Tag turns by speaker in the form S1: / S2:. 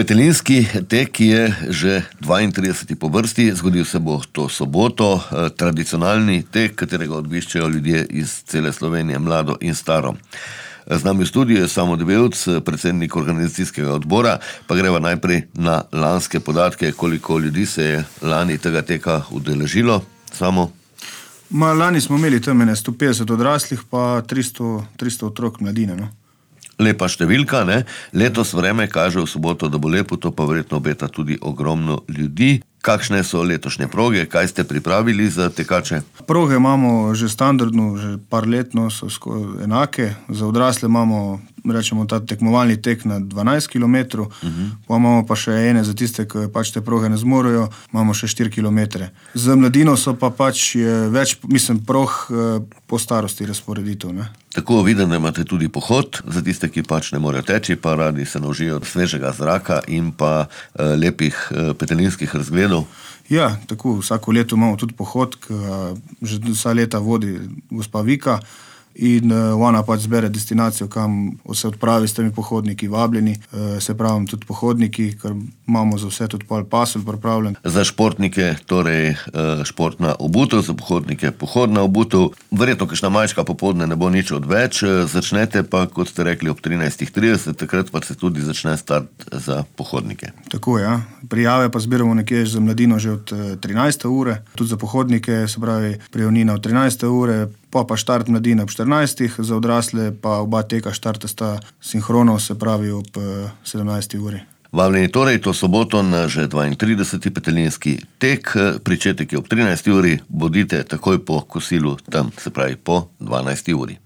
S1: Petelinski tek je že 32. po vrsti, zgodil se bo to soboto, tradicionalni tek, katerega obiščejo ljudje iz cele Slovenije, mlado in staro. Z nami v studiu je Samo Debevc, predsednik organizacijskega odbora, pa greva najprej na lanske podatke, koliko ljudi se je lani tega teka udeležilo. Samo?
S2: Lani smo imeli tam 150 odraslih, pa 300 otrok mladine, no.
S1: Lepa številka, ne? Letos vreme kaže v soboto, da bo lepo, to pa verjetno obeta tudi ogromno ljudi. Kakšne so letošnje proge, kaj ste pripravili za tekače?
S2: Proge imamo že standardno, že par letno so enake. Za odrasle imamo, rečemo, ta tekmovalni tek na 12 km, pa imamo pa še ene za tiste, ki pač te proge ne zmorejo, imamo še 4 km. Za mladino so pa pač več, prog po starosti razporeditev, ne.
S1: Tako vidim, da imate tudi pohod za tiste, ki pač ne morejo teči, pa radi se naužijo svežega zraka in pa lepih petelinskih razgledov.
S2: Ja, tako, vsako leto imamo tudi pohod, ki že vsa leta vodi gospa Vika in ona pač zbere destinacijo, kam se odpravi s temi pohodniki vabljeni, se pravi tudi pohodniki, ker imamo za vse tudi pasel pripravljen.
S1: Za športnike torej športna obutev, za pohodnike pohodna obutev. Verjetno kakšna majčka popoldne ne bo nič odveč, začnete pa, kot ste rekli, ob 13:30, takrat pa se tudi začne start za pohodnike.
S2: Tako, ja. Prijave pa zbiramo nekje za mladino že od 13. ure, tudi za pohodnike, se pravi prijavnina od 13. ure, pa štart mladine ob 14. Za odrasle pa oba teka štarta sta sinhrono, se pravi ob 17. uri.
S1: Vabljeni torej to soboto na že 32. petelinski tek, pričetek je ob 13. uri, bodite takoj po kosilu tam, se pravi po 12. uri.